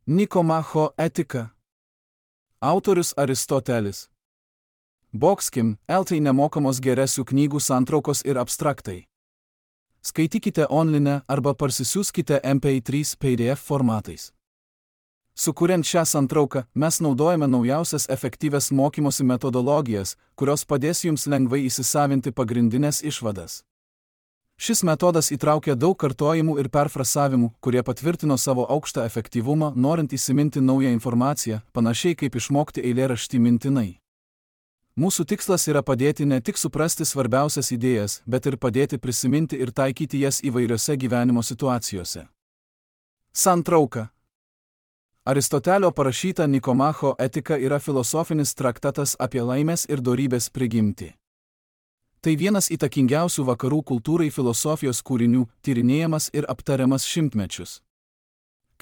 Nikomacho etika. Autorius Aristotelis. Boxkim, LT nemokamos geresių knygų santraukos ir abstraktai. Skaitykite online arba parsisiųskite MP3 PDF formatais. Sukuriant šią santrauką, mes naudojame naujausias efektyvias mokymosi metodologijas, kurios padės jums lengvai įsisavinti pagrindinės išvadas. Šis metodas įtraukia daug kartojimų ir perfrasavimų, kurie patvirtino savo aukštą efektyvumą, norint įsiminti naują informaciją, panašiai kaip išmokti eilėraštį mintinai. Mūsų tikslas yra padėti ne tik suprasti svarbiausias idėjas, bet ir padėti prisiminti ir taikyti jas įvairiose gyvenimo situacijose. Santrauka. Aristotelio parašyta Nikomacho etika yra filosofinis traktatas apie laimės ir dorybės prigimtį. Tai vienas įtakingiausių vakarų kultūrai filosofijos kūrinių, tyrinėjamas ir aptariamas šimtmečius.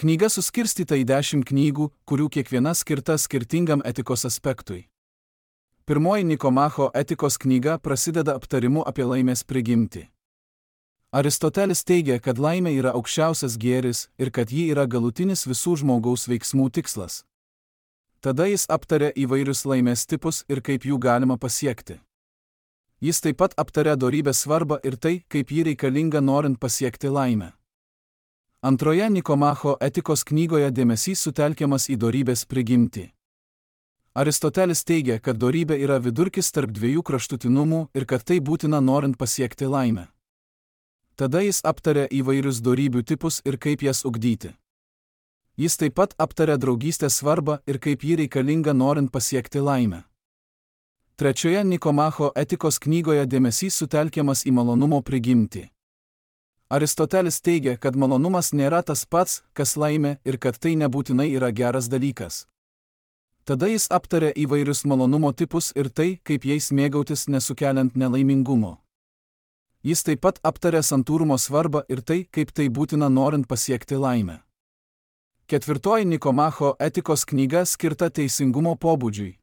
Knyga suskirstyta į 10 knygų, kurių kiekviena skirta skirtingam etikos aspektui. Pirmoji Nikomacho etikos knyga prasideda aptarimu apie laimės prigimtį. Aristotelis teigia, kad laimė yra aukščiausias gėris ir kad ji yra galutinis visų žmogaus veiksmų tikslas. Tada jis aptaria įvairius laimės tipus ir kaip jų galima pasiekti. Jis taip pat aptaria dorybės svarbą ir tai, kaip ji reikalinga norint pasiekti laimę. Antroje Nikomacho etikos knygoje dėmesys sutelkiamas į dorybės prigimtį. Aristotelis teigia, kad dorybė yra vidurkis tarp dviejų kraštutinumų ir kad tai būtina norint pasiekti laimę. Tada jis aptaria įvairius dorybių tipus ir kaip jas ugdyti. Jis taip pat aptaria draugystės svarbą ir kaip ji reikalinga norint pasiekti laimę. Trečioje Nikomacho etikos knygoje dėmesys sutelkiamas į malonumo prigimtį. Aristotelis teigia, kad malonumas nėra tas pats, kas laimė ir kad tai nebūtinai yra geras dalykas. Tada jis aptaria įvairius malonumo tipus ir tai, kaip jais mėgautis nesukeliant nelaimingumo. Jis taip pat aptaria santūrumo svarbą ir tai, kaip tai būtina norint pasiekti laimę. Ketvirtoji Nikomacho etikos knyga skirta teisingumo pobūdžiui.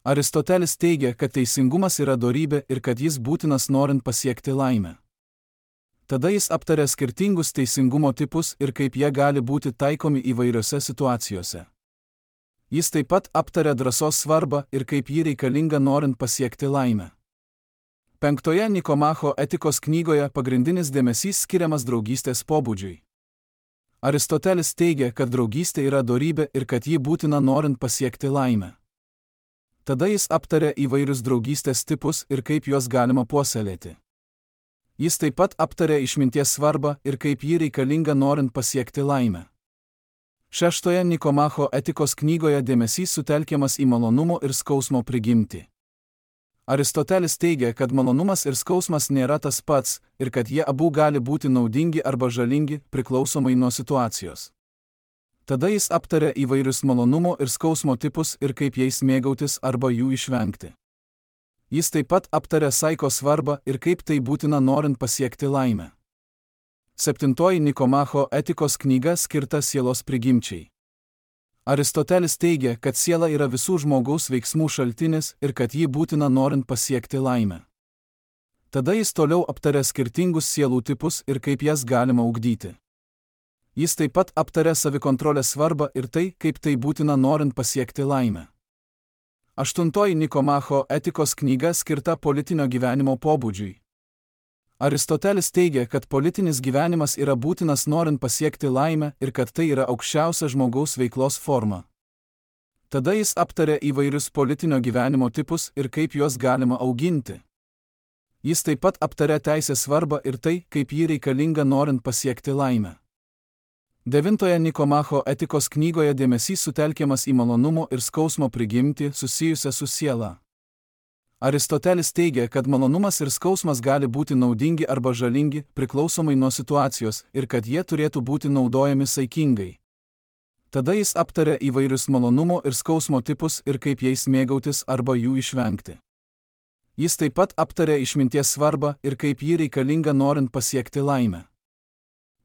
Aristotelis teigia, kad teisingumas yra dorybė ir kad jis būtinas norint pasiekti laimę. Tada jis aptaria skirtingus teisingumo tipus ir kaip jie gali būti taikomi įvairiose situacijose. Jis taip pat aptaria drąsos svarbą ir kaip ji reikalinga norint pasiekti laimę. Penktoje Nikomacho etikos knygoje pagrindinis dėmesys skiriamas draugystės pobūdžiui. Aristotelis teigia, kad draugystė yra dorybė ir kad ji būtina norint pasiekti laimę. Tada jis aptaria įvairius draugystės tipus ir kaip juos galima puoselėti. Jis taip pat aptaria išminties svarbą ir kaip ji reikalinga norint pasiekti laimę. Šeštoje Nikomacho etikos knygoje dėmesys sutelkiamas į malonumo ir skausmo prigimtį. Aristotelis teigia, kad malonumas ir skausmas nėra tas pats ir kad jie abu gali būti naudingi arba žalingi priklausomai nuo situacijos. Tada jis aptaria įvairius malonumo ir skausmo tipus ir kaip jais mėgautis arba jų išvengti. Jis taip pat aptaria saiko svarbą ir kaip tai būtina norint pasiekti laimę. Septintoji Nikomacho etikos knyga skirta sielos prigimčiai. Aristotelis teigia, kad siela yra visų žmogaus veiksmų šaltinis ir kad ji būtina norint pasiekti laimę. Tada jis toliau aptaria skirtingus sielų tipus ir kaip jas galima ugdyti. Jis taip pat aptaria savikontrolės svarbą ir tai, kaip tai būtina norint pasiekti laimę. Aštuntoji Nikomacho etikos knyga skirta politinio gyvenimo pobūdžiui. Aristotelis teigia, kad politinis gyvenimas yra būtinas norint pasiekti laimę ir kad tai yra aukščiausia žmogaus veiklos forma. Tada jis aptaria įvairius politinio gyvenimo tipus ir kaip juos galima auginti. Jis taip pat aptaria teisės svarbą ir tai, kaip ji reikalinga norint pasiekti laimę. Devintoje Nikomacho etikos knygoje dėmesys sutelkiamas į malonumo ir skausmo prigimtį susijusią su siela. Aristotelis teigia, kad malonumas ir skausmas gali būti naudingi arba žalingi priklausomai nuo situacijos ir kad jie turėtų būti naudojami saikingai. Tada jis aptaria įvairius malonumo ir skausmo tipus ir kaip jais mėgautis arba jų išvengti. Jis taip pat aptaria išminties svarbą ir kaip ji reikalinga norint pasiekti laimę.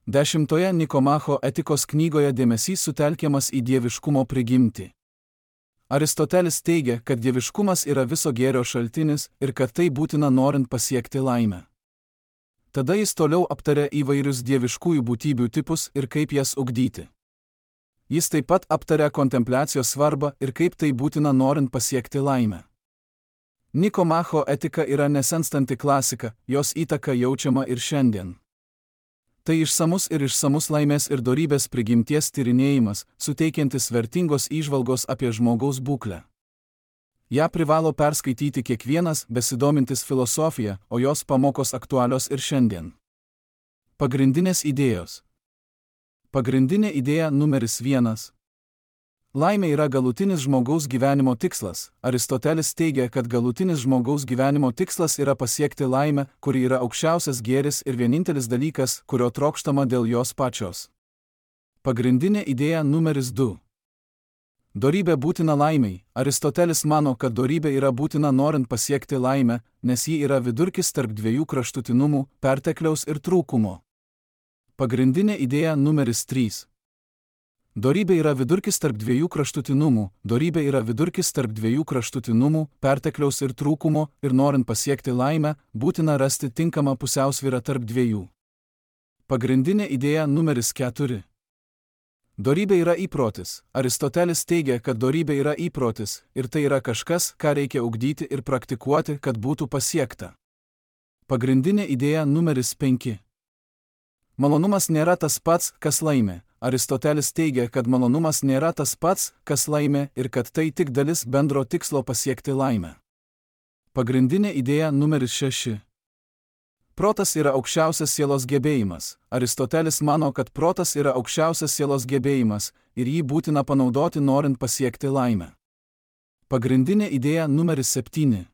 Dešimtoje Nikomacho etikos knygoje dėmesys sutelkiamas į dieviškumo prigimtį. Aristotelis teigia, kad dieviškumas yra viso gėrio šaltinis ir kad tai būtina norint pasiekti laimę. Tada jis toliau aptaria įvairius dieviškųjų būtybių tipus ir kaip jas ugdyti. Jis taip pat aptaria kontempliacijos svarbą ir kaip tai būtina norint pasiekti laimę. Nikomacho etika yra nesenstanti klasika, jos įtaka jaučiama ir šiandien. Tai išsamus laimės ir dorybės prigimties tyrinėjimas, suteikiantis vertingos įžvalgos apie žmogaus būklę. Ja privalo perskaityti kiekvienas besidomintis filosofija, o jos pamokos aktualios ir šiandien. Pagrindinės idėjos. Pagrindinė idėja numeris 1. Laimė yra galutinis žmogaus gyvenimo tikslas. Aristotelis teigia, kad galutinis žmogaus gyvenimo tikslas yra pasiekti laimę, kuri yra aukščiausias gėris ir vienintelis dalykas, kurio trokštama dėl jos pačios. Pagrindinė idėja numeris 2. Dorybė būtina laimei. Aristotelis mano, kad dorybė yra būtina norint pasiekti laimę, nes ji yra vidurkis tarp dviejų kraštutinumų, pertekliaus ir trūkumo. Pagrindinė idėja numeris 3. Dorybė yra vidurkis tarp dviejų kraštutinumų, dorybė yra vidurkis tarp dviejų kraštutinumų, pertekliaus ir trūkumo, ir norint pasiekti laimę, būtina rasti tinkamą pusiausvyrą tarp dviejų. Pagrindinė idėja numeris 4. Dorybė yra įprotis. Aristotelis teigia, kad dorybė yra įprotis, ir tai yra kažkas, ką reikia ugdyti ir praktikuoti, kad būtų pasiekta. Pagrindinė idėja numeris 5. Malonumas nėra tas pats, kas laimė. Aristotelis teigia, kad malonumas nėra tas pats, kas laimė, ir kad tai tik dalis bendro tikslo pasiekti laimę. Pagrindinė idėja numeris 6. Protas yra aukščiausias sielos gebėjimas. Aristotelis mano, kad protas yra aukščiausias sielos gebėjimas ir jį būtina panaudoti norint pasiekti laimę. Pagrindinė idėja numeris 7.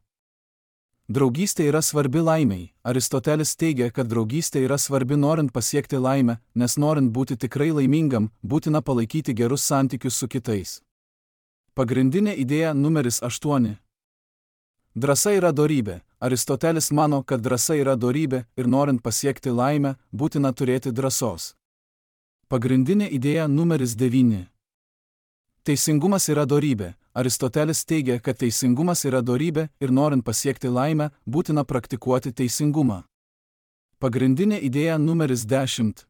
Draugystė yra svarbi laimei. Aristotelis teigia, kad draugystė yra svarbi norint pasiekti laimę, nes norint būti tikrai laimingam, būtina palaikyti gerus santykius su kitais. Pagrindinė idėja numeris 8. Drąsa yra dorybė. Aristotelis mano, kad drąsa yra dorybė ir norint pasiekti laimę, būtina turėti drąsos. Pagrindinė idėja numeris 9. Teisingumas yra dorybė. Aristotelis teigia, kad teisingumas yra dorybė ir norint pasiekti laimę, būtina praktikuoti teisingumą. Pagrindinė idėja numeris 10.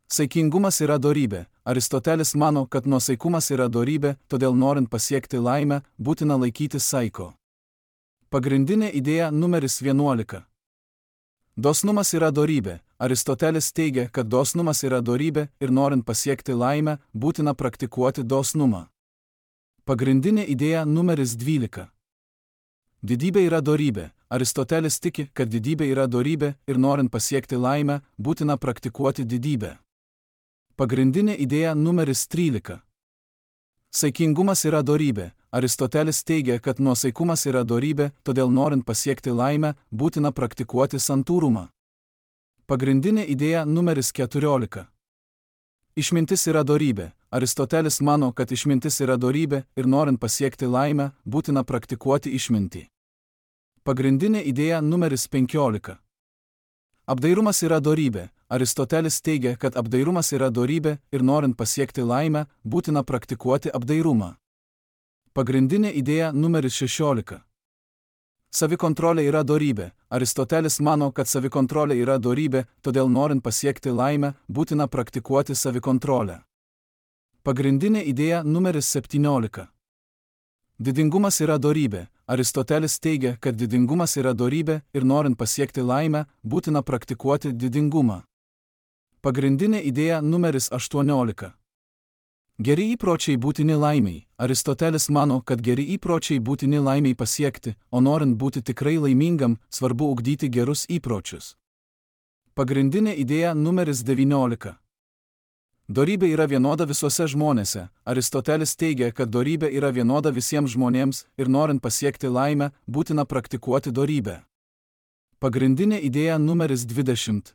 Saikingumas yra dorybė. Aristotelis mano, kad nuosaikumas yra dorybė, todėl norint pasiekti laimę, būtina laikytis saiko. Pagrindinė idėja numeris 11. Dosnumas yra dorybė. Aristotelis teigia, kad dosnumas yra dorybė ir norint pasiekti laimę, būtina praktikuoti dosnumą. Pagrindinė idėja numeris 12. Didybė yra dorybė. Aristotelis tiki, kad didybė yra dorybė ir norint pasiekti laimę, būtina praktikuoti didybę. Pagrindinė idėja numeris 13. Saikingumas yra dorybė. Aristotelis teigia, kad nuosaikumas yra dorybė, todėl norint pasiekti laimę, būtina praktikuoti santūrumą. Pagrindinė idėja numeris 14. Išmintis yra dorybė. Aristotelis mano, kad išmintis yra dorybė ir norint pasiekti laimę, būtina praktikuoti išmintį. Pagrindinė idėja numeris 15. Apdairumas yra dorybė. Aristotelis teigia, kad apdairumas yra dorybė ir norint pasiekti laimę, būtina praktikuoti apdairumą. Pagrindinė idėja numeris 16. Savikontrolė yra dorybė. Aristotelis mano, kad savikontrolė yra dorybė, todėl norint pasiekti laimę, būtina praktikuoti savikontrolę. Pagrindinė idėja numeris 17. Didingumas yra dorybė. Aristotelis teigia, kad didingumas yra dorybė ir norint pasiekti laimę, būtina praktikuoti didingumą. Pagrindinė idėja numeris 18. Geri įpročiai būtini laimiai. Aristotelis mano, kad geri įpročiai būtini laimiai pasiekti, o norint būti tikrai laimingam, svarbu ugdyti gerus įpročius. Pagrindinė idėja numeris 19. Dorybė yra vienoda visuose žmonėse. Aristotelis teigia, kad dorybė yra vienoda visiems žmonėms ir norint pasiekti laimę, būtina praktikuoti dorybę. Pagrindinė idėja numeris 20.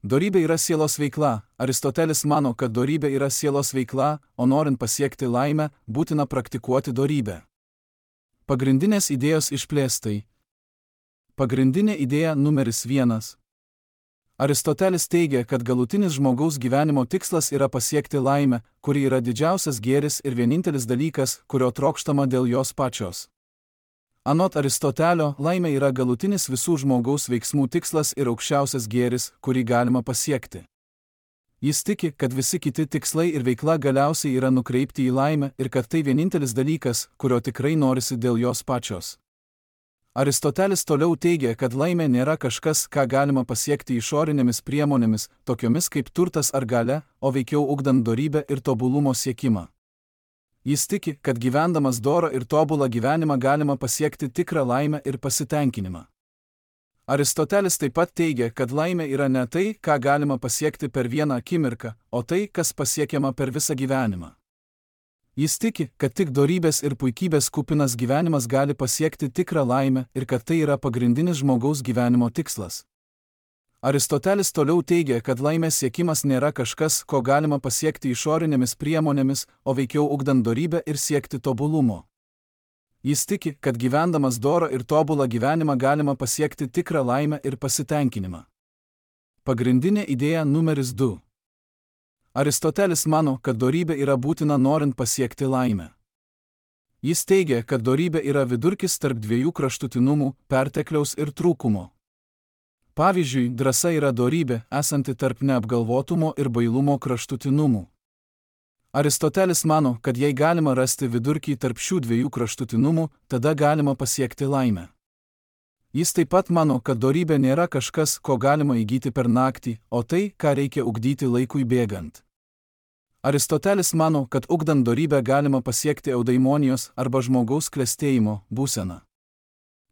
Dorybė yra sielos veikla. Aristotelis mano, kad dorybė yra sielos veikla, o norint pasiekti laimę, būtina praktikuoti dorybę. Pagrindinės idėjos išplėstai. Pagrindinė idėja numeris 1. Aristotelis teigia, kad galutinis žmogaus gyvenimo tikslas yra pasiekti laimę, kuri yra didžiausias gėris ir vienintelis dalykas, kurio trokštama dėl jos pačios. Anot Aristotelio, laimė yra galutinis visų žmogaus veiksmų tikslas ir aukščiausias gėris, kurį galima pasiekti. Jis tiki, kad visi kiti tikslai ir veikla galiausiai yra nukreipti į laimę ir kad tai vienintelis dalykas, kurio tikrai norisi dėl jos pačios. Aristotelis toliau teigia, kad laimė nėra kažkas, ką galima pasiekti išorinėmis priemonėmis, tokiomis kaip turtas ar galia, o veikiau ugdant dorybę ir tobulumo siekimą. Jis tiki, kad gyvendamas dorą ir tobulą gyvenimą galima pasiekti tikrą laimę ir pasitenkinimą. Aristotelis taip pat teigia, kad laimė yra ne tai, ką galima pasiekti per vieną akimirką, o tai, kas pasiekiama per visą gyvenimą. Jis tiki, kad tik dorybės ir puikybės kupinas gyvenimas gali pasiekti tikrą laimę ir kad tai yra pagrindinis žmogaus gyvenimo tikslas. Aristotelis toliau teigia, kad laimės siekimas nėra kažkas, ko galima pasiekti išorinėmis priemonėmis, o veikiau ugdant dorybę ir siekti tobulumo. Jis tiki, kad gyvendamas dorą ir tobulą gyvenimą galima pasiekti tikrą laimę ir pasitenkinimą. Pagrindinė idėja numeris 2. Aristotelis mano, kad dorybė yra būtina norint pasiekti laimę. Jis teigia, kad dorybė yra vidurkis tarp dviejų kraštutinumų, pertekliaus ir trūkumo. Pavyzdžiui, drąsa yra dorybė, esanti tarp neapgalvotumo ir bailumo kraštutinumų. Aristotelis mano, kad jei galima rasti vidurkį tarp šių dviejų kraštutinumų, tada galima pasiekti laimę. Jis taip pat mano, kad dorybė nėra kažkas, ko galima įgyti per naktį, o tai, ką reikia ugdyti laikui bėgant. Aristotelis mano, kad ugdant dorybę galima pasiekti eudaimonijos arba žmogaus klestėjimo būseną.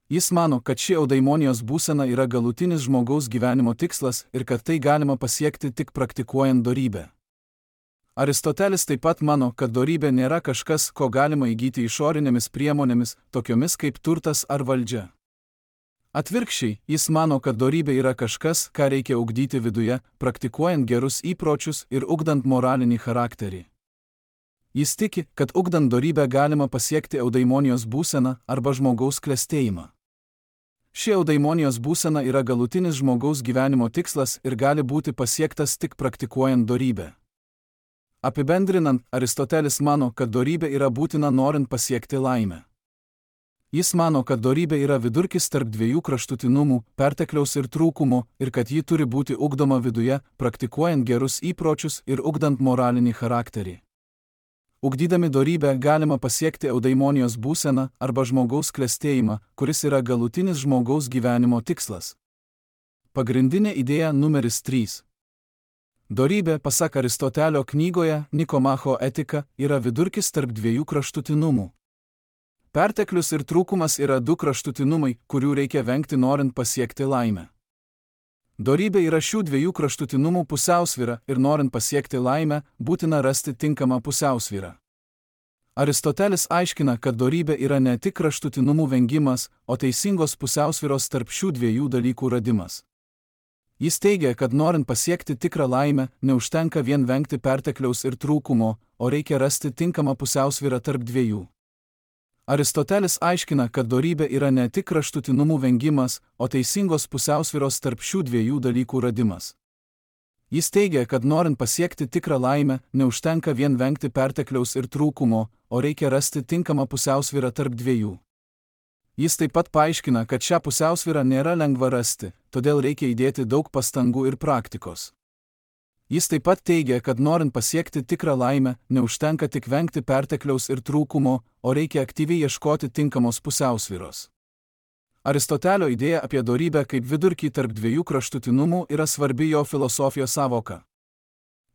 Jis mano, kad ši eudaimonijos būsena yra galutinis žmogaus gyvenimo tikslas ir kad tai galima pasiekti tik praktikuojant dorybę. Aristotelis taip pat mano, kad dorybė nėra kažkas, ko galima įgyti išorinėmis priemonėmis, tokiomis kaip turtas ar valdžia. Atvirkščiai, jis mano, kad dorybė yra kažkas, ką reikia ugdyti viduje, praktikuojant gerus įpročius ir ugdant moralinį charakterį. Jis tiki, kad ugdant dorybę galima pasiekti eudaimonijos būseną arba žmogaus klestėjimą. Ši eudaimonijos būsena yra galutinis žmogaus gyvenimo tikslas ir gali būti pasiektas tik praktikuojant dorybę. Apibendrinant, Aristotelis mano, kad dorybė yra būtina norint pasiekti laimę. Jis mano, kad dorybė yra vidurkis tarp dviejų kraštutinumų, pertekliaus ir trūkumo, ir kad ji turi būti ugdoma viduje, praktikuojant gerus įpročius ir ugdant moralinį charakterį. Ugdydami dorybę galima pasiekti eudaimonijos būseną arba žmogaus klestėjimą, kuris yra galutinis žmogaus gyvenimo tikslas. Pagrindinė idėja numeris 3. Dorybė, pasak Aristotelio knygoje Nikomacho etika, yra vidurkis tarp dviejų kraštutinumų. Perteklius ir trūkumas yra du kraštutinumai, kurių reikia vengti norint pasiekti laimę. Dorybė yra šių dviejų kraštutinumų pusiausvyra ir norint pasiekti laimę, būtina rasti tinkamą pusiausvyrą. Aristotelis aiškina, kad dorybė yra ne tik kraštutinumų vengimas, o teisingos pusiausvyros tarp šių dviejų dalykų radimas. Jis teigia, kad norint pasiekti tikrą laimę, neužtenka vien vengti pertekliaus ir trūkumo, o reikia rasti tinkamą pusiausvyrą tarp dviejų. Aristotelis aiškina, kad dorybė yra ne tik kraštutinumų vengimas, o teisingos pusiausvyros tarp šių dviejų dalykų radimas. Jis teigia, kad norint pasiekti tikrą laimę, neužtenka vien vengti pertekliaus ir trūkumo, o reikia rasti tinkamą pusiausvyrą tarp dviejų. Jis taip pat paaiškina, kad šią pusiausvyrą nėra lengva rasti, todėl reikia įdėti daug pastangų ir praktikos. Jis taip pat teigia, kad norint pasiekti tikrą laimę, neužtenka tik vengti pertekliaus ir trūkumo, o reikia aktyviai ieškoti tinkamos pusiausvyros. Aristotelio idėja apie dorybę kaip vidurkį tarp dviejų kraštutinumų yra svarbi jo filosofijos sąvoka.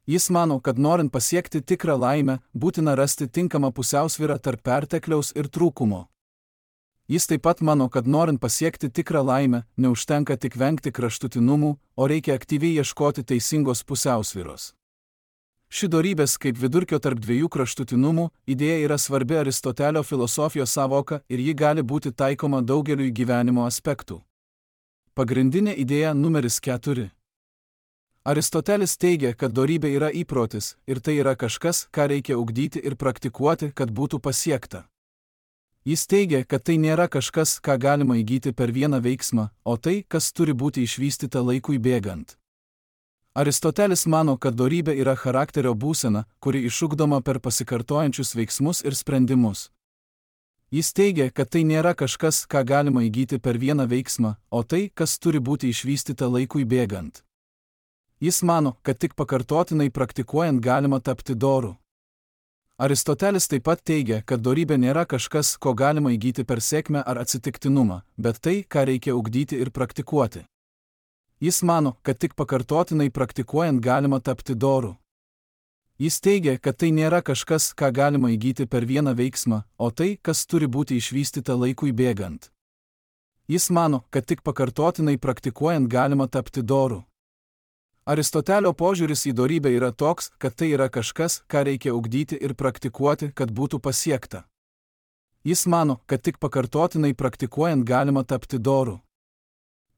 Jis mano, kad norint pasiekti tikrą laimę, būtina rasti tinkamą pusiausvyrą tarp pertekliaus ir trūkumo. Jis taip pat mano, kad norint pasiekti tikrą laimę, neužtenka tik vengti kraštutinumų, o reikia aktyviai ieškoti teisingos pusiausvyros. Ši dorybės kaip vidurkio tarp dviejų kraštutinumų idėja yra svarbi Aristotelio filosofijos sąvoka ir ji gali būti taikoma daugeliui gyvenimo aspektų. Pagrindinė idėja numeris 4. Aristotelis teigia, kad dorybė yra įprotis ir tai yra kažkas, ką reikia ugdyti ir praktikuoti, kad būtų pasiekta. Jis teigia, kad tai nėra kažkas, ką galima įgyti per vieną veiksmą, o tai, kas turi būti išvystyta laikui bėgant. Aristotelis mano, kad dorybė yra charakterio būsena, kuri išugdoma per pasikartojančius veiksmus ir sprendimus. Jis teigia, kad tai nėra kažkas, ką galima įgyti per vieną veiksmą, o tai, kas turi būti išvystyta laikui bėgant. Jis mano, kad tik pakartotinai praktikuojant galima tapti doru. Aristotelis taip pat teigia, kad dorybė nėra kažkas, ko galima įgyti per sėkmę ar atsitiktinumą, bet tai, ką reikia ugdyti ir praktikuoti. Jis mano, kad tik pakartotinai praktikuojant galima tapti doru. Jis teigia, kad tai nėra kažkas, ką galima įgyti per vieną veiksmą, o tai, kas turi būti išvystyta laikui bėgant. Jis mano, kad tik pakartotinai praktikuojant galima tapti doru. Aristotelio požiūris į dorybę yra toks, kad tai yra kažkas, ką reikia ugdyti ir praktikuoti, kad būtų pasiekta. Jis mano, kad tik pakartotinai praktikuojant galima tapti doru.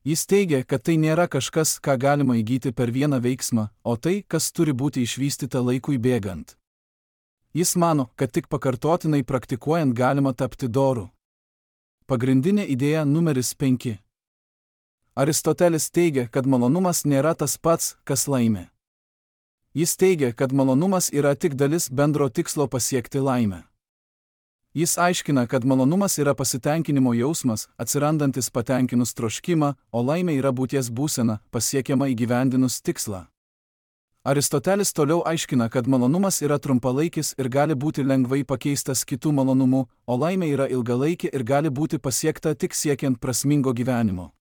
Jis teigia, kad tai nėra kažkas, ką galima įgyti per vieną veiksmą, o tai, kas turi būti išvystyta laikui bėgant. Jis mano, kad tik pakartotinai praktikuojant galima tapti doru. Pagrindinė idėja numeris 5. Aristotelis teigia, kad malonumas nėra tas pats, kas laimė. Jis teigia, kad malonumas yra tik dalis bendro tikslo pasiekti laimę. Jis aiškina, kad malonumas yra pasitenkinimo jausmas, atsirandantis patenkinus troškimą, o laimė yra būties būsena, pasiekiama įgyvendinus tikslą. Aristotelis toliau aiškina, kad malonumas yra trumpalaikis ir gali būti lengvai pakeistas kitų malonumų, o laimė yra ilgalaikė ir gali būti pasiekta tik siekiant prasmingo gyvenimo.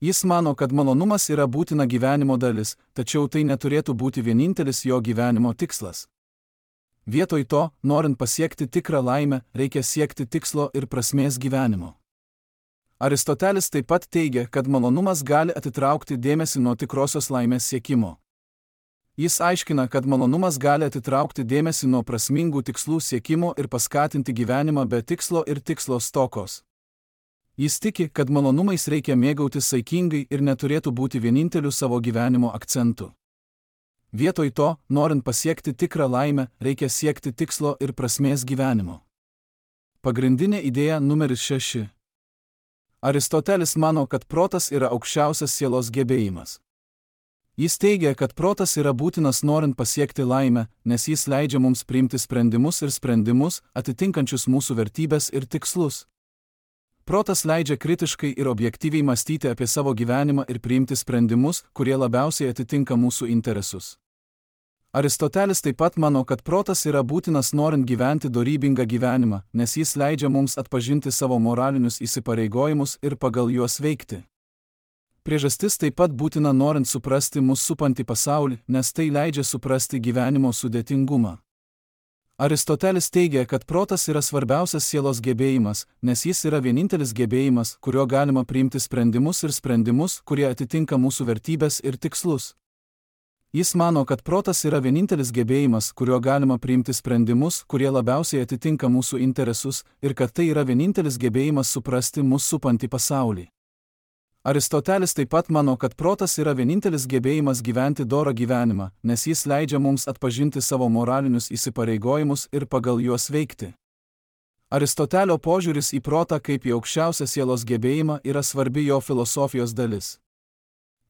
Jis mano, kad malonumas yra būtina gyvenimo dalis, tačiau tai neturėtų būti vienintelis jo gyvenimo tikslas. Vietoj to, norint pasiekti tikrą laimę, reikia siekti tikslo ir prasmės gyvenimo. Aristotelis taip pat teigia, kad malonumas gali atitraukti dėmesį nuo tikrosios laimės siekimo. Jis aiškina, kad malonumas gali atitraukti dėmesį nuo prasmingų tikslų siekimo ir paskatinti gyvenimą be tikslo ir tikslo stokos. Jis tiki, kad malonumais reikia mėgautis saikingai ir neturėtų būti vieninteliu savo gyvenimo akcentu. Vietoj to, norint pasiekti tikrą laimę, reikia siekti tikslo ir prasmės gyvenimo. Pagrindinė idėja numeris 6. Aristotelis mano, kad protas yra aukščiausias sielos gebėjimas. Jis teigia, kad protas yra būtinas norint pasiekti laimę, nes jis leidžia mums priimti sprendimus ir sprendimus, atitinkančius mūsų vertybės ir tikslus. Protas leidžia kritiškai ir objektyviai mąstyti apie savo gyvenimą ir priimti sprendimus, kurie labiausiai atitinka mūsų interesus. Aristotelis taip pat mano, kad protas yra būtinas norint gyventi dorybingą gyvenimą, nes jis leidžia mums atpažinti savo moralinius įsipareigojimus ir pagal juos veikti. Priežastis taip pat būtina norint suprasti mus supantį pasaulį, nes tai leidžia suprasti gyvenimo sudėtingumą. Aristotelis teigia, kad protas yra svarbiausias sielos gebėjimas, nes jis yra vienintelis gebėjimas, kurio galima priimti sprendimus ir sprendimus, kurie atitinka mūsų vertybės ir tikslus. Jis mano, kad protas yra vienintelis gebėjimas, kurio galima priimti sprendimus, kurie labiausiai atitinka mūsų interesus, ir kad tai yra vienintelis gebėjimas suprasti mus supantį pasaulį. Aristotelis taip pat mano, kad protas yra vienintelis gebėjimas gyventi dorą gyvenimą, nes jis leidžia mums atpažinti savo moralinius įsipareigojimus ir pagal juos veikti. Aristotelio požiūris į protą kaip į aukščiausią sielos gebėjimą yra svarbi jo filosofijos dalis.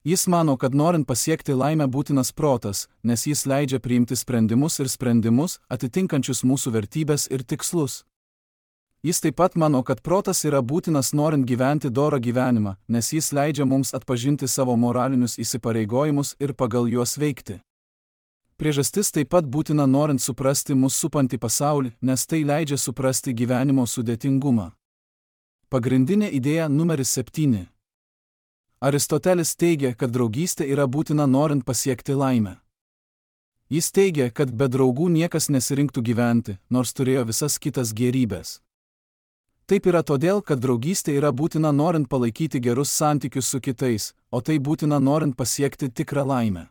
Jis mano, kad norint pasiekti laimę būtinas protas, nes jis leidžia priimti sprendimus ir sprendimus, atitinkančius mūsų vertybės ir tikslus. Jis taip pat mano, kad protas yra būtinas norint gyventi dorą gyvenimą, nes jis leidžia mums atpažinti savo moralinius įsipareigojimus ir pagal juos veikti. Priežastis taip pat būtina norint suprasti mus supantį pasaulį, nes tai leidžia suprasti gyvenimo sudėtingumą. Pagrindinė idėja numeris 7. Aristotelis teigia, kad draugystė yra būtina norint pasiekti laimę. Jis teigia, kad be draugų niekas nesirinktų gyventi, nors turėjo visas kitas gėrybes. Taip yra todėl, kad draugystė yra būtina norint palaikyti gerus santykius su kitais, o tai būtina norint pasiekti tikrą laimę.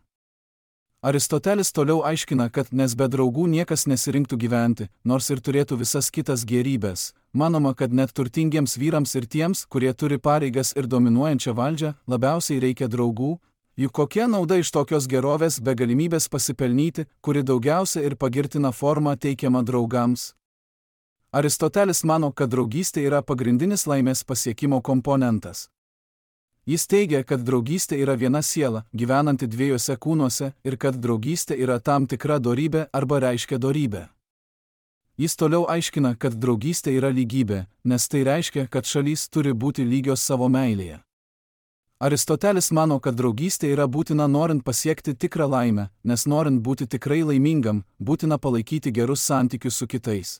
Aristotelis toliau aiškina, kad nes be draugų niekas nesirinktų gyventi, nors ir turėtų visas kitas gėrybes. Manoma, kad net turtingiems vyrams ir tiems, kurie turi pareigas ir dominuojančią valdžią, labiausiai reikia draugų, juk kokia nauda iš tokios gerovės be galimybės pasipelnyti, kuri daugiausia ir pagirtina forma teikiama draugams. Aristotelis mano, kad draugystė yra pagrindinis laimės pasiekimo komponentas. Jis teigia, kad draugystė yra viena siela, gyvenanti dviejose kūnuose, ir kad draugystė yra tam tikra dorybė arba reiškia dorybę. Jis toliau aiškina, kad draugystė yra lygybė, nes tai reiškia, kad šalys turi būti lygios savo meilėje. Aristotelis mano, kad draugystė yra būtina norint pasiekti tikrą laimę, nes norint būti tikrai laimingam, būtina palaikyti gerus santykius su kitais.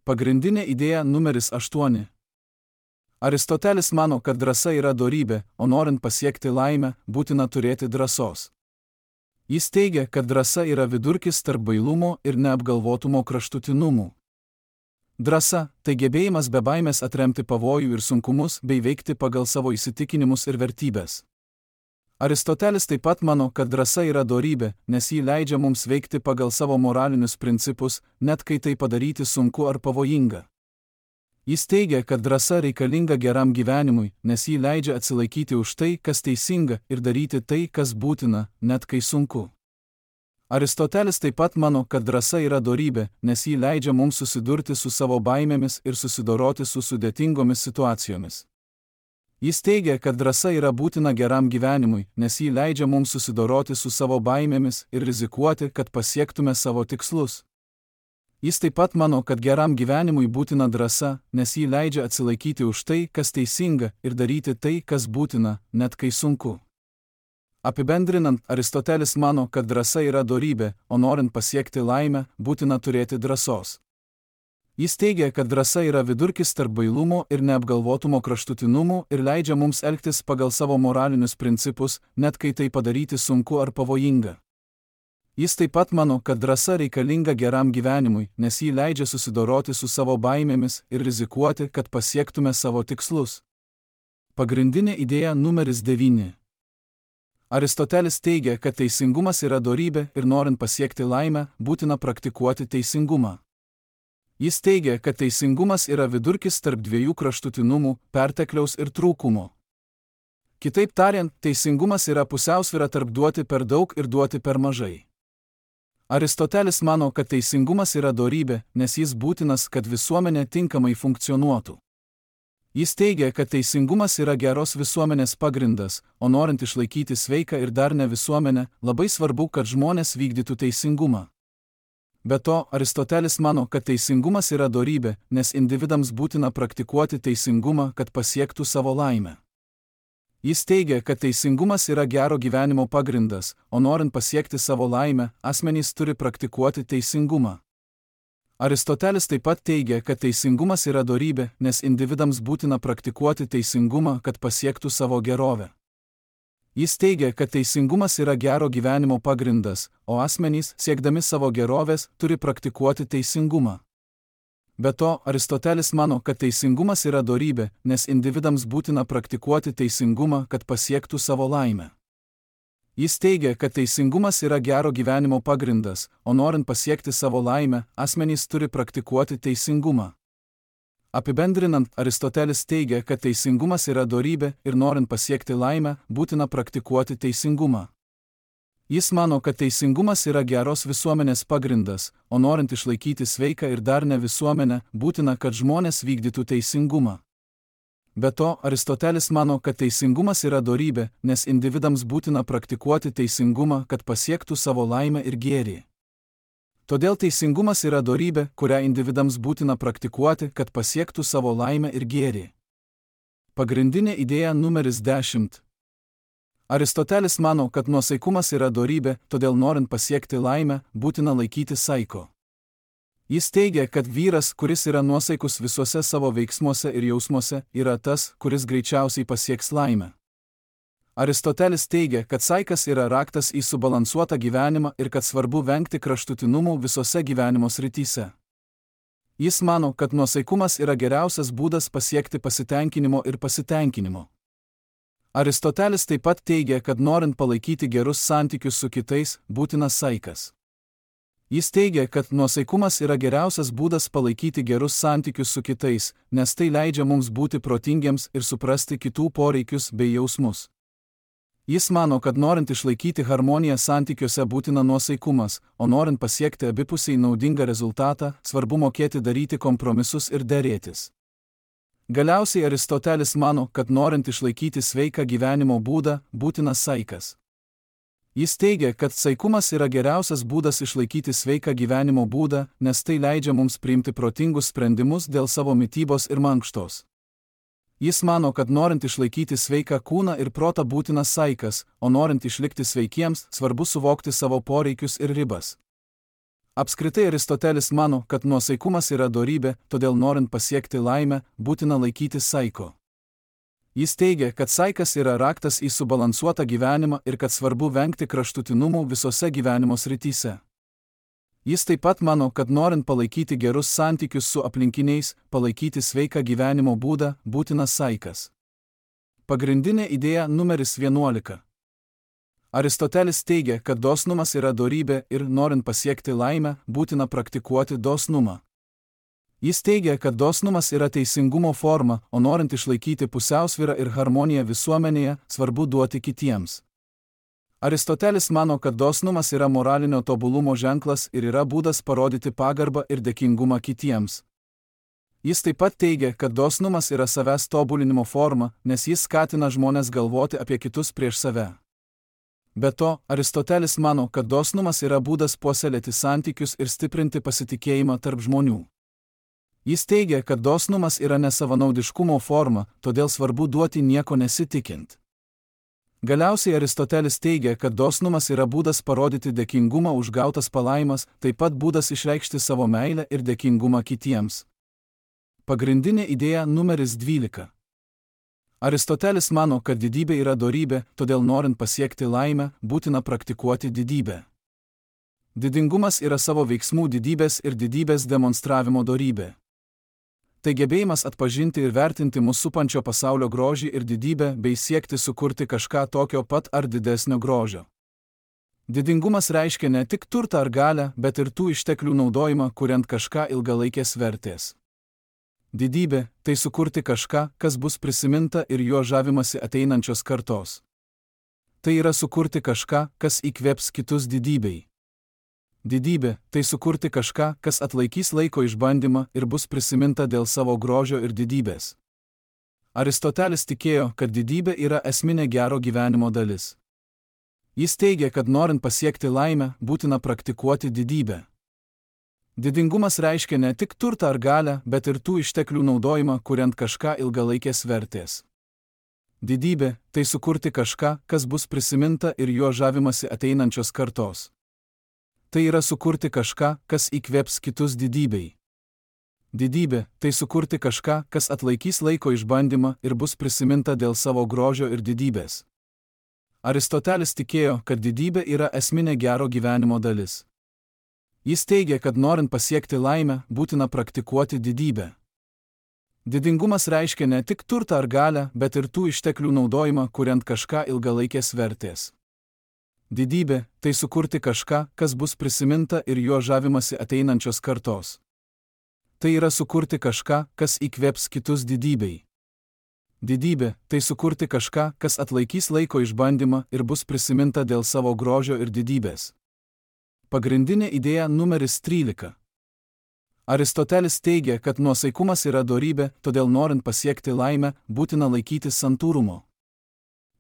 Pagrindinė idėja numeris 8. Aristotelis mano, kad drąsa yra dorybė, o norint pasiekti laimę, būtina turėti drąsos. Jis teigia, kad drąsa yra vidurkis tarp bailumo ir neapgalvotumo kraštutinumų. Drąsa – tai gebėjimas be baimės atremti pavojų ir sunkumus bei veikti pagal savo įsitikinimus ir vertybės. Aristotelis taip pat mano, kad drąsa yra dorybė, nes ji leidžia mums veikti pagal savo moralinius principus, net kai tai padaryti sunku ar pavojinga. Jis teigia, kad drąsa reikalinga geram gyvenimui, nes ji leidžia atsilaikyti už tai, kas teisinga, ir daryti tai, kas būtina, net kai sunku. Aristotelis taip pat mano, kad drąsa yra dorybė, nes ji leidžia mums susidurti su savo baimėmis ir susidoroti su sudėtingomis situacijomis. Jis teigia, kad drąsa yra būtina geram gyvenimui, nes ji leidžia mums susidoroti su savo baimėmis ir rizikuoti, kad pasiektume savo tikslus. Jis taip pat mano, kad geram gyvenimui būtina drąsa, nes ji leidžia atsilaikyti už tai, kas teisinga, ir daryti tai, kas būtina, net kai sunku. Apibendrinant, Aristotelis mano, kad drąsa yra dorybė, o norint pasiekti laimę, būtina turėti drąsos. Jis teigia, kad drąsa yra vidurkis tarp bailumo ir neapgalvotumo kraštutinumų ir leidžia mums elgtis pagal savo moralinius principus, net kai tai padaryti sunku ar pavojinga. Jis taip pat mano, kad drąsa reikalinga geram gyvenimui, nes ji leidžia susidoroti su savo baimėmis ir rizikuoti, kad pasiektume savo tikslus. Pagrindinė idėja numeris 9. Aristotelis teigia, kad teisingumas yra dorybė ir norint pasiekti laimę, būtina praktikuoti teisingumą. Jis teigia, kad teisingumas yra vidurkis tarp dviejų kraštutinumų – pertekliaus ir trūkumo. Kitaip tariant, teisingumas yra pusiausvyra tarp duoti per daug ir duoti per mažai. Aristotelis mano, kad teisingumas yra dorybė, nes jis būtinas, kad visuomenė tinkamai funkcionuotų. Jis teigia, kad teisingumas yra geros visuomenės pagrindas, o norint išlaikyti sveiką ir darnią visuomenę, labai svarbu, kad žmonės vykdytų teisingumą. Be to, Aristotelis mano, kad teisingumas yra dorybė, nes individams būtina praktikuoti teisingumą, kad pasiektų savo laimę. Jis teigia, kad teisingumas yra gero gyvenimo pagrindas, o norint pasiekti savo laimę, asmenys turi praktikuoti teisingumą. Aristotelis taip pat teigia, kad teisingumas yra dorybė, nes individams būtina praktikuoti teisingumą, kad pasiektų savo gerovę. Jis teigia, kad teisingumas yra gero gyvenimo pagrindas, o asmenys, siekdami savo gerovės, turi praktikuoti teisingumą. Be to, Aristotelis mano, kad teisingumas yra dorybė, nes individams būtina praktikuoti teisingumą, kad pasiektų savo laimę. Jis teigia, kad teisingumas yra gero gyvenimo pagrindas, o norint pasiekti savo laimę, asmenys turi praktikuoti teisingumą. Apibendrinant, Aristotelis teigia, kad teisingumas yra dorybė ir norint pasiekti laimę, būtina praktikuoti teisingumą. Jis mano, kad teisingumas yra geros visuomenės pagrindas, o norint išlaikyti sveiką ir darnią visuomenę, būtina, kad žmonės vykdytų teisingumą. Be to, Aristotelis mano, kad teisingumas yra dorybė, nes individams būtina praktikuoti teisingumą, kad pasiektų savo laimę ir gėrį. Todėl teisingumas yra dorybė, kurią individams būtina praktikuoti, kad pasiektų savo laimę ir gėrį. Pagrindinė idėja numeris 10. Aristotelis mano, kad nuosaikumas yra dorybė, todėl norint pasiekti laimę, būtina laikyti saiko. Jis teigia, kad vyras, kuris yra nuosaikus visuose savo veiksmuose ir jausmuose, yra tas, kuris greičiausiai pasieks laimę. Aristotelis teigia, kad saikas yra raktas į subalansuotą gyvenimą ir kad svarbu vengti kraštutinumų visose gyvenimo srityse. Jis mano, kad nuosaikumas yra geriausias būdas pasiekti pasitenkinimo ir pasitenkinimo. Aristotelis taip pat teigia, kad norint palaikyti gerus santykius su kitais, būtinas saikas. Jis teigia, kad nuosaikumas yra geriausias būdas palaikyti gerus santykius su kitais, nes tai leidžia mums būti protingiems ir suprasti kitų poreikius bei jausmus. Jis mano, kad norint išlaikyti harmoniją santykiuose būtina nuosaikumas, o norint pasiekti abipusiai naudingą rezultatą, svarbu mokėti daryti kompromisus ir derėtis. Galiausiai Aristotelis mano, kad norint išlaikyti sveiką gyvenimo būdą, būtinas saikas. Jis teigia, kad saikumas yra geriausias būdas išlaikyti sveiką gyvenimo būdą, nes tai leidžia mums priimti protingus sprendimus dėl savo mitybos ir mankštos. Jis mano, kad norint išlaikyti sveiką kūną ir protą būtinas saikas, o norint išlikti sveikiems, svarbu suvokti savo poreikius ir ribas. Apskritai Aristotelis mano, kad nuosaikumas yra dorybė, todėl norint pasiekti laimę, būtina laikytis saiko. Jis teigia, kad saikas yra raktas į subalansuotą gyvenimą ir kad svarbu vengti kraštutinumų visose gyvenimo srityse. Jis taip pat mano, kad norint palaikyti gerus santykius su aplinkiniais, palaikyti sveiką gyvenimo būdą, būtinas saikas. Pagrindinė idėja numeris 11. Aristotelis teigia, kad dosnumas yra dorybė ir norint pasiekti laimę, būtina praktikuoti dosnumą. Jis teigia, kad dosnumas yra teisingumo forma, o norint išlaikyti pusiausvyrą ir harmoniją visuomenėje, svarbu duoti kitiems. Aristotelis mano, kad dosnumas yra moralinio tobulumo ženklas ir yra būdas parodyti pagarbą ir dėkingumą kitiems. Jis taip pat teigia, kad dosnumas yra savęs tobulinimo forma, nes jis skatina žmones galvoti apie kitus prieš save. Be to, Aristotelis mano, kad dosnumas yra būdas puoselėti santykius ir stiprinti pasitikėjimą tarp žmonių. Jis teigia, kad dosnumas yra nesavanaudiškumo forma, todėl svarbu duoti nieko nesitikint. Galiausiai Aristotelis teigia, kad dosnumas yra būdas parodyti dėkingumą už gautas palaimas, taip pat būdas išreikšti savo meilę ir dėkingumą kitiems. Pagrindinė idėja numeris 12. Aristotelis mano, kad didybė yra dorybė, todėl norint pasiekti laimę, būtina praktikuoti didybę. Didingumas yra savo veiksmų didybės ir didybės demonstravimo dorybė. Tai gebėjimas atpažinti ir vertinti mus supančio pasaulio grožį ir didybę bei siekti sukurti kažką tokio pat ar didesnio grožio. Didingumas reiškia ne tik turtą ar galią, bet ir tų išteklių naudojimą, kuriant kažką ilgalaikės vertės. Didybė – tai sukurti kažką, kas bus prisiminta ir juo žavimasi ateinančios kartos. Tai yra sukurti kažką, kas įkvėps kitus didybei. Didybė – tai sukurti kažką, kas atlaikys laiko išbandymą ir bus prisiminta dėl savo grožio ir didybės. Aristotelis tikėjo, kad didybė yra esminė gero gyvenimo dalis. Jis teigia, kad norint pasiekti laimę, būtina praktikuoti didybę. Didingumas reiškia ne tik turtą ar galią, bet ir tų išteklių naudojimą, kuriant kažką ilgalaikės vertės. Didybė – tai sukurti kažką, kas bus prisiminta ir juo žavimasi ateinančios kartos. Tai yra sukurti kažką, kas įkvėps kitus didybei. Didybė – tai sukurti kažką, kas atlaikys laiko išbandymą ir bus prisiminta dėl savo grožio ir didybės. Aristotelis tikėjo, kad didybė yra esminė gero gyvenimo dalis. Jis teigia, kad norint pasiekti laimę, būtina praktikuoti didybę. Didingumas reiškia ne tik turtą ar galią, bet ir tų išteklių naudojimą, kuriant kažką ilgalaikės vertės. Didybė – tai sukurti kažką, kas bus prisiminta ir juo žavimasi ateinančios kartos. Tai yra sukurti kažką, kas įkvėps kitus didybei. Didybė – tai sukurti kažką, kas atlaikys laiko išbandymą ir bus prisiminta dėl savo grožio ir didybės. Pagrindinė idėja numeris 13. Aristotelis teigia, kad nuosaikumas yra dorybė, todėl norint pasiekti laimę, būtina laikytis santūrumo.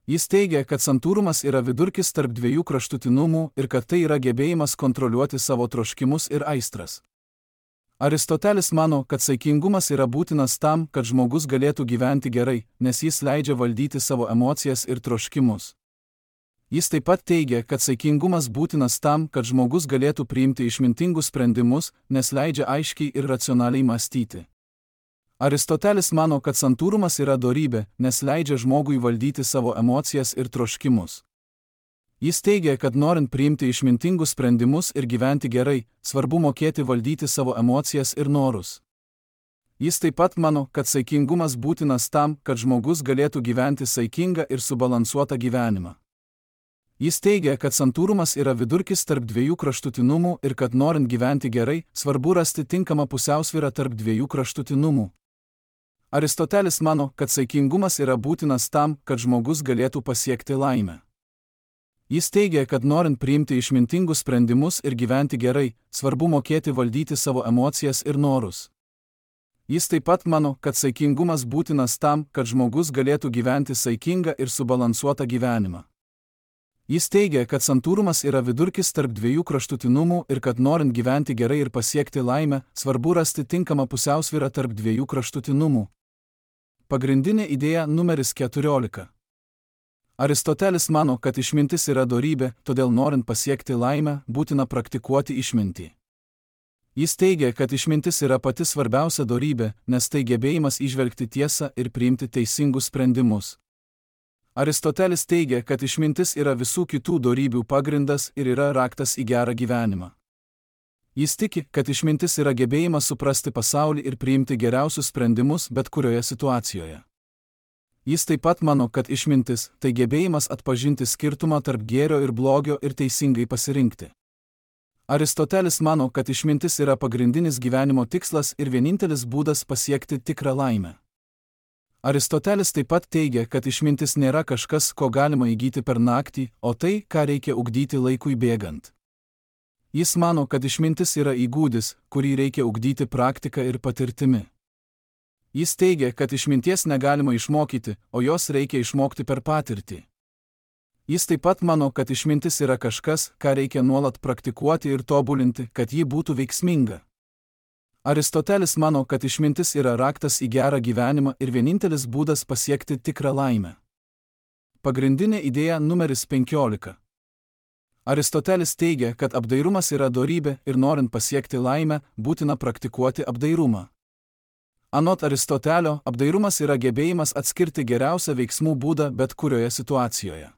Jis teigia, kad santūrumas yra vidurkis tarp dviejų kraštutinumų ir kad tai yra gebėjimas kontroliuoti savo troškimus ir aistras. Aristotelis mano, kad saikingumas yra būtinas tam, kad žmogus galėtų gyventi gerai, nes jis leidžia valdyti savo emocijas ir troškimus. Jis taip pat teigia, kad saikingumas būtinas tam, kad žmogus galėtų priimti išmintingus sprendimus, nes leidžia aiškiai ir racionaliai mąstyti. Aristotelis mano, kad santūrumas yra dorybė, nes leidžia žmogui valdyti savo emocijas ir troškimus. Jis teigia, kad norint priimti išmintingus sprendimus ir gyventi gerai, svarbu mokėti valdyti savo emocijas ir norus. Jis taip pat mano, kad saikingumas būtinas tam, kad žmogus galėtų gyventi saikingą ir subalansuotą gyvenimą. Jis teigia, kad santūrumas yra vidurkis tarp dviejų kraštutinumų ir kad norint gyventi gerai, svarbu rasti tinkamą pusiausvyrą tarp dviejų kraštutinumų. Aristotelis mano, kad saikingumas yra būtinas tam, kad žmogus galėtų pasiekti laimę. Jis teigia, kad norint priimti išmintingus sprendimus ir gyventi gerai, svarbu mokėti valdyti savo emocijas ir norus. Jis taip pat mano, kad saikingumas būtinas tam, kad žmogus galėtų gyventi saikingą ir subalansuotą gyvenimą. Jis teigia, kad santūrumas yra vidurkis tarp dviejų kraštutinumų ir kad norint gyventi gerai ir pasiekti laimę, svarbu rasti tinkamą pusiausvyrą tarp dviejų kraštutinumų. Pagrindinė idėja numeris 14. Aristotelis mano, kad išmintis yra dorybė, todėl norint pasiekti laimę, būtina praktikuoti išmintį. Jis teigia, kad išmintis yra pati svarbiausia dorybė, nes tai gebėjimas įžvelgti tiesą ir priimti teisingus sprendimus. Aristotelis teigia, kad išmintis yra visų kitų dorybių pagrindas ir yra raktas į gerą gyvenimą. Jis tiki, kad išmintis yra gebėjimas suprasti pasaulį ir priimti geriausius sprendimus bet kurioje situacijoje. Jis taip pat mano, kad išmintis – tai gebėjimas atpažinti skirtumą tarp gėrio ir blogio ir teisingai pasirinkti. Aristotelis mano, kad išmintis yra pagrindinis gyvenimo tikslas ir vienintelis būdas pasiekti tikrą laimę. Aristotelis taip pat teigia, kad išmintis nėra kažkas, ko galima įgyti per naktį, o tai, ką reikia ugdyti laikui bėgant. Jis mano, kad išmintis yra įgūdis, kurį reikia ugdyti praktika ir patirtimi. Jis teigia, kad išminties negalima išmokyti, o jos reikia išmokti per patirtį. Jis taip pat mano, kad išmintis yra kažkas, ką reikia nuolat praktikuoti ir tobulinti, kad ji būtų veiksminga. Aristotelis mano, kad išmintis yra raktas į gerą gyvenimą ir vienintelis būdas pasiekti tikrą laimę. Pagrindinė idėja numeris 15. Aristotelis teigia, kad apdairumas yra dorybė ir norint pasiekti laimę, būtina praktikuoti apdairumą. Anot Aristotelio, apdairumas yra gebėjimas atskirti geriausią veiksmų būdą bet kurioje situacijoje.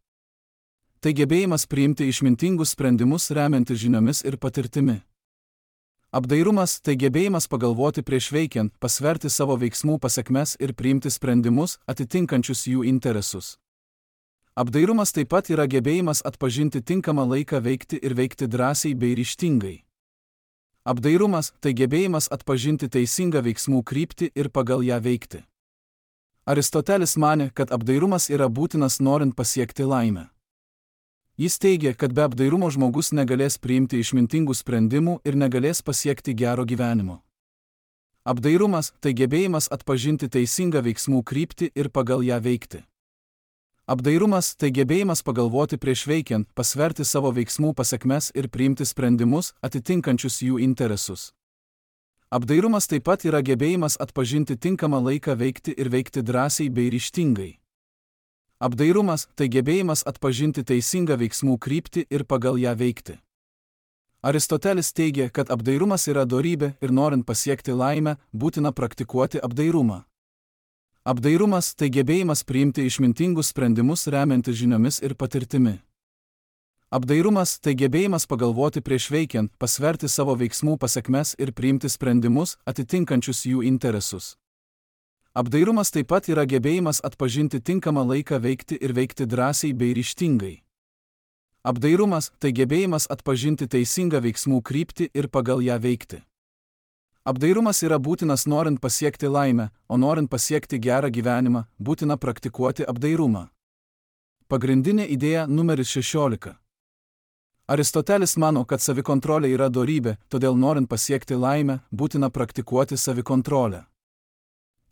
Tai gebėjimas priimti išmintingus sprendimus remiantis žiniomis ir patirtimi. Apdairumas – tai gebėjimas pagalvoti prieš veikiant, pasverti savo veiksmų pasekmes ir priimti sprendimus atitinkančius jų interesus. Apdairumas taip pat yra gebėjimas atpažinti tinkamą laiką veikti ir veikti drąsiai bei ryžtingai. Apdairumas – tai gebėjimas atpažinti teisingą veiksmų kryptį ir pagal ją veikti. Aristotelis manė, kad apdairumas yra būtinas norint pasiekti laimę. Jis teigia, kad be apdairumo žmogus negalės priimti išmintingų sprendimų ir negalės pasiekti gero gyvenimo. Apdairumas – tai gebėjimas atpažinti teisingą veiksmų kryptį ir pagal ją veikti. Apdairumas – tai gebėjimas pagalvoti prieš veikiant, pasverti savo veiksmų pasekmes ir priimti sprendimus atitinkančius jų interesus. Apdairumas taip pat yra gebėjimas atpažinti tinkamą laiką veikti ir veikti drąsiai bei ryžtingai. Apdairumas – tai gebėjimas atpažinti teisingą veiksmų kryptį ir pagal ją veikti. Aristotelis teigia, kad apdairumas yra dorybė ir norint pasiekti laimę, būtina praktikuoti apdairumą. Apdairumas – tai gebėjimas priimti išmintingus sprendimus remiantis žiniomis ir patirtimi. Apdairumas – tai gebėjimas pagalvoti prieš veikiant, pasverti savo veiksmų pasekmes ir priimti sprendimus atitinkančius jų interesus. Apdairumas taip pat yra gebėjimas atpažinti tinkamą laiką veikti ir veikti drąsiai bei ryžtingai. Apdairumas – tai gebėjimas atpažinti teisingą veiksmų kryptį ir pagal ją veikti. Apdairumas yra būtinas norint pasiekti laimę, o norint pasiekti gerą gyvenimą, būtina praktikuoti apdairumą. Pagrindinė idėja numeris 16. Aristotelis mano, kad savikontrolė yra dorybė, todėl norint pasiekti laimę, būtina praktikuoti savikontrolę.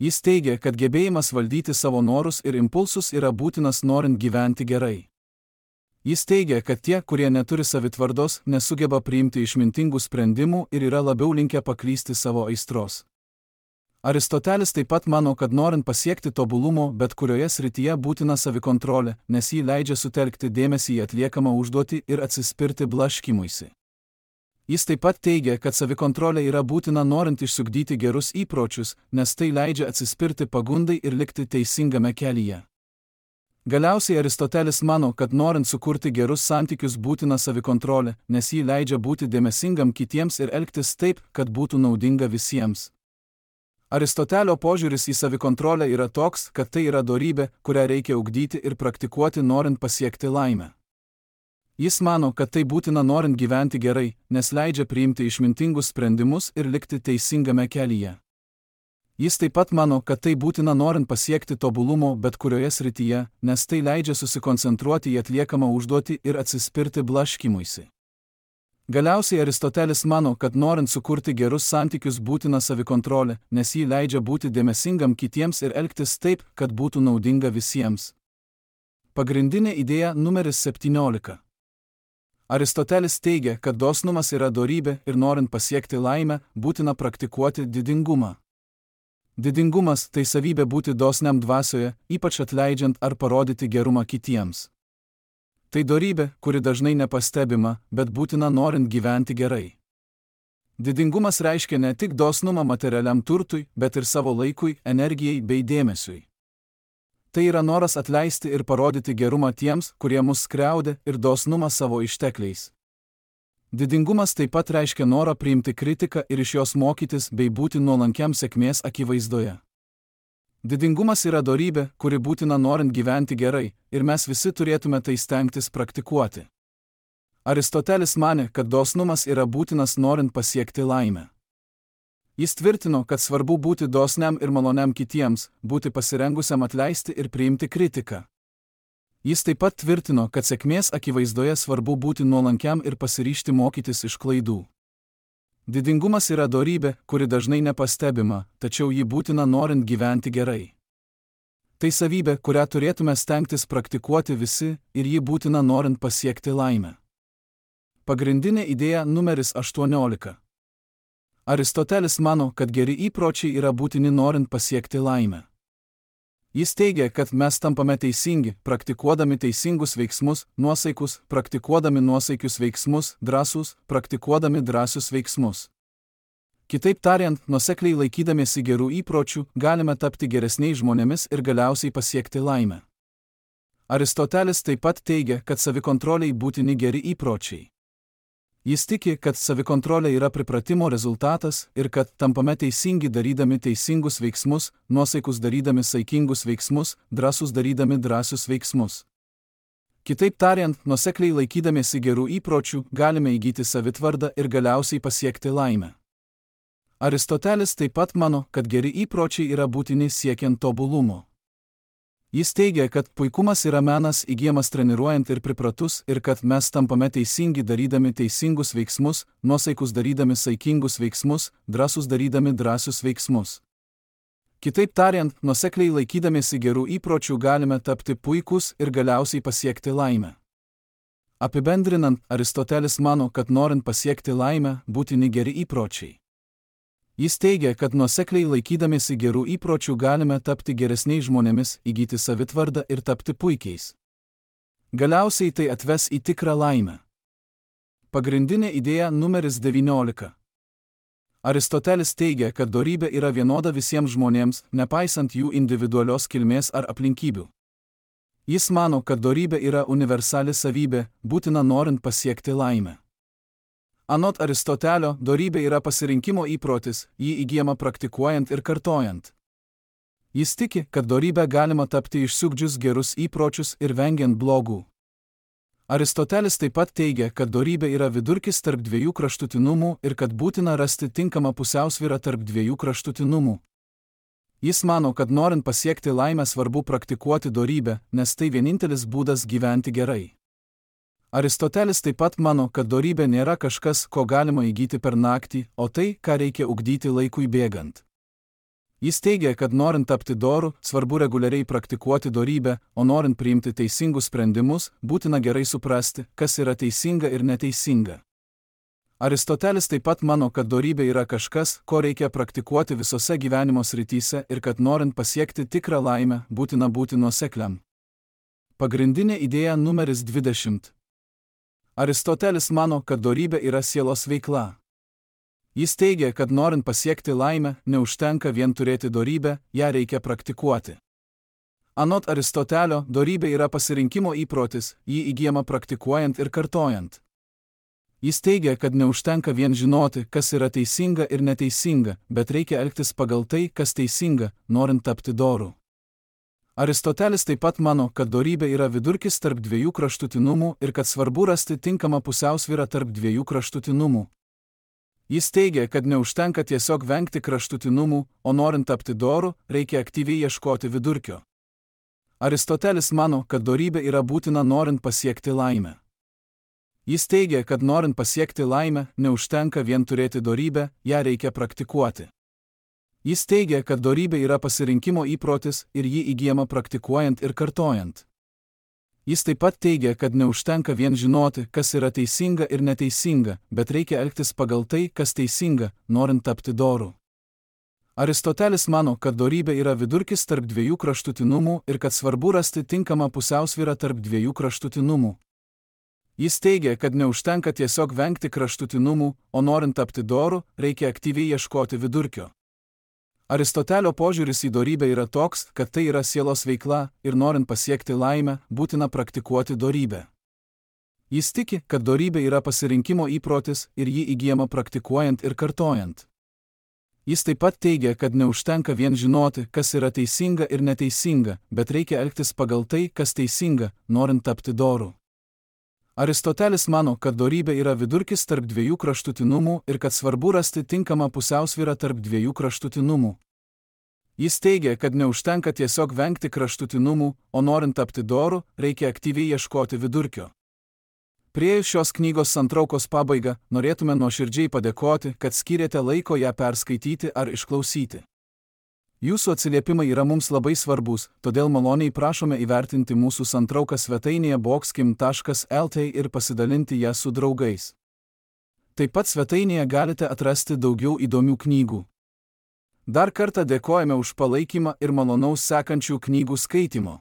Jis teigia, kad gebėjimas valdyti savo norus ir impulsus yra būtinas norint gyventi gerai. Jis teigia, kad tie, kurie neturi savitvardos, nesugeba priimti išmintingų sprendimų ir yra labiau linkę paklysti savo aistros. Aristotelis taip pat mano, kad norint pasiekti tobulumo bet kurioje srityje būtina savikontrolė, nes ji leidžia sutelkti dėmesį į atliekamą užduotį ir atsispirti blaškymuisi. Jis taip pat teigia, kad savikontrolė yra būtina norint išsiugdyti gerus įpročius, nes tai leidžia atsispirti pagundai ir likti teisingame kelyje. Galiausiai Aristotelis mano, kad norint sukurti gerus santykius būtina savikontrolė, nes ji leidžia būti dėmesingam kitiems ir elgtis taip, kad būtų naudinga visiems. Aristotelio požiūris į savikontrolę yra toks, kad tai yra dorybė, kurią reikia ugdyti ir praktikuoti norint pasiekti laimę. Jis mano, kad tai būtina norint gyventi gerai, nes leidžia priimti išmintingus sprendimus ir likti teisingame kelyje. Jis taip pat mano, kad tai būtina norint pasiekti tobulumo bet kurioje srityje, nes tai leidžia susikoncentruoti į atliekamą užduotį ir atsispirti blaškymuisi. Galiausiai Aristotelis mano, kad norint sukurti gerus santykius būtina savikontrolė, nes ji leidžia būti dėmesingam kitiems ir elgtis taip, kad būtų naudinga visiems. Pagrindinė idėja numeris 17. Aristotelis teigia, kad dosnumas yra dorybė ir norint pasiekti laimę, būtina praktikuoti didingumą. Didingumas tai savybė būti dosniam dvasioje, ypač atleidžiant ar parodyti gerumą kitiems. Tai dorybė, kuri dažnai nepastebima, bet būtina norint gyventi gerai. Didingumas reiškia ne tik dosnumą materialiam turtui, bet ir savo laikui, energijai bei dėmesiui. Tai yra noras atleisti ir parodyti gerumą tiems, kurie mus skriaudė, ir dosnumą savo ištekliais. Didingumas taip pat reiškia norą priimti kritiką ir iš jos mokytis bei būti nuolankiam sėkmės akivaizdoje. Didingumas yra dorybė, kuri būtina norint gyventi gerai, ir mes visi turėtume tai stengtis praktikuoti. Aristotelis manė, kad dosnumas yra būtinas norint pasiekti laimę. Jis tvirtino, kad svarbu būti dosniam ir maloniam kitiems, būti pasirengusiam atleisti ir priimti kritiką. Jis taip pat tvirtino, kad sėkmės akivaizdoje svarbu būti nuolankiam ir pasiryžti mokytis iš klaidų. Didingumas yra dorybė, kuri dažnai nepastebima, tačiau ji būtina norint gyventi gerai. Tai savybė, kurią turėtume stengtis praktikuoti visi, ir ji būtina norint pasiekti laimę. Pagrindinė idėja numeris 18. Aristotelis mano, kad geri įpročiai yra būtini norint pasiekti laimę. Jis teigia, kad mes tampame teisingi, praktikuodami teisingus veiksmus, nuosaikus, praktikuodami nuosaikius veiksmus, drąsūs, praktikuodami drąsius veiksmus. Kitaip tariant, nuosekliai laikydamiesi gerų įpročių, galime tapti geresniais žmonėmis ir galiausiai pasiekti laimę. Aristotelis taip pat teigia, kad savikontroliai būtini geri įpročiai. Jis tiki, kad savikontrolė yra pripratimo rezultatas ir kad tampame teisingi darydami teisingus veiksmus, nuosaikus darydami saikingus veiksmus, drąsūs darydami drąsius veiksmus. Kitaip tariant, nuosekliai laikydamiesi gerų įpročių, galime įgyti savitvardą ir galiausiai pasiekti laimę. Aristotelis taip pat mano, kad geri įpročiai yra būtini siekiant tobulumo. Jis teigia, kad puikumas yra menas įgyjamas treniruojant ir pripratus ir kad mes tampame teisingi darydami teisingus veiksmus, nuosaikus darydami saikingus veiksmus, drąsūs darydami drąsius veiksmus. Kitaip tariant, nuosekliai laikydamiesi gerų įpročių galime tapti puikus ir galiausiai pasiekti laimę. Apibendrinant, Aristotelis mano, kad norint pasiekti laimę, būtini geri įpročiai. Jis teigia, kad nuosekliai laikydamiesi gerų įpročių galime tapti geresniais žmonėmis, įgyti savitvardą ir tapti puikiais. Galiausiai tai atves į tikrą laimę. Pagrindinė idėja numeris 19. Aristotelis teigia, kad dorybė yra vienoda visiems žmonėms, nepaisant jų individualios kilmės ar aplinkybių. Jis mano, kad dorybė yra universali savybė, būtina norint pasiekti laimę. Anot Aristotelio, dorybė yra pasirinkimo įprotis, jį įgyjama praktikuojant ir kartojant. Jis tiki, kad dorybę galima tapti išsiugdžius gerus įpročius ir vengiant blogų. Aristotelis taip pat teigia, kad dorybė yra vidurkis tarp dviejų kraštutinumų ir kad būtina rasti tinkamą pusiausvyrą tarp dviejų kraštutinumų. Jis mano, kad norint pasiekti laimę svarbu praktikuoti dorybę, nes tai vienintelis būdas gyventi gerai. Aristotelis taip pat mano, kad dorybė nėra kažkas, ko galima įgyti per naktį, o tai, ką reikia ugdyti laikui bėgant. Jis teigia, kad norint tapti doru, svarbu reguliariai praktikuoti dorybę, o norint priimti teisingus sprendimus, būtina gerai suprasti, kas yra teisinga ir neteisinga. Aristotelis taip pat mano, kad dorybė yra kažkas, ko reikia praktikuoti visose gyvenimo srityse ir kad norint pasiekti tikrą laimę, būtina būti nuosekliam. Pagrindinė idėja numeris 20. Aristotelis mano, kad dorybė yra sielos veikla. Jis teigia, kad norint pasiekti laimę, neužtenka vien turėti dorybę, ją reikia praktikuoti. Anot Aristotelio, dorybė yra pasirinkimo įprotis, jį įgyjama praktikuojant ir kartojant. Jis teigia, kad neužtenka vien žinoti, kas yra teisinga ir neteisinga, bet reikia elgtis pagal tai, kas teisinga, norint tapti doru. Aristotelis taip pat mano, kad dorybė yra vidurkis tarp dviejų kraštutinumų ir kad svarbu rasti tinkamą pusiausvyrą tarp dviejų kraštutinumų. Jis teigia, kad neužtenka tiesiog vengti kraštutinumų, o norint tapti doru, reikia aktyviai ieškoti vidurkio. Aristotelis mano, kad dorybė yra būtina norint pasiekti laimę. Jis teigia, kad norint pasiekti laimę, neužtenka vien turėti dorybę, ją reikia praktikuoti. Jis teigia, kad dorybė yra pasirinkimo įprotis ir jį įgyjama praktikuojant ir kartojant. Jis taip pat teigia, kad neužtenka vien žinoti, kas yra teisinga ir neteisinga, bet reikia elgtis pagal tai, kas teisinga, norint tapti doru. Aristotelis mano, kad dorybė yra vidurkis tarp dviejų kraštutinumų ir kad svarbu rasti tinkamą pusiausvyrą tarp dviejų kraštutinumų. Jis teigia, kad neužtenka tiesiog vengti kraštutinumų, o norint tapti doru, reikia aktyviai ieškoti vidurkio. Aristotelio požiūris į dorybę yra toks, kad tai yra sielos veikla ir norint pasiekti laimę, būtina praktikuoti dorybę. Jis tiki, kad dorybė yra pasirinkimo įprotis ir jį įgyjama praktikuojant ir kartojant. Jis taip pat teigia, kad neužtenka vien žinoti, kas yra teisinga ir neteisinga, bet reikia elgtis pagal tai, kas teisinga, norint tapti doru. Aristotelis mano, kad dorybė yra vidurkis tarp dviejų kraštutinumų ir kad svarbu rasti tinkamą pusiausvyrą tarp dviejų kraštutinumų. Jis teigia, kad neužtenka tiesiog vengti kraštutinumų, o norint tapti doru, reikia aktyviai ieškoti vidurkio. Priėjus šios knygos santraukos pabaigą, norėtume nuoširdžiai padėkoti, kad skyrėte laiko ją perskaityti ar išklausyti. Jūsų atsiliepimai yra mums labai svarbus, todėl maloniai prašome įvertinti mūsų santrauką svetainėje boxkim.lt ir pasidalinti ją su draugais. Taip pat svetainėje galite atrasti daugiau įdomių knygų. Dar kartą dėkojame už palaikymą ir malonaus sekančių knygų skaitimo.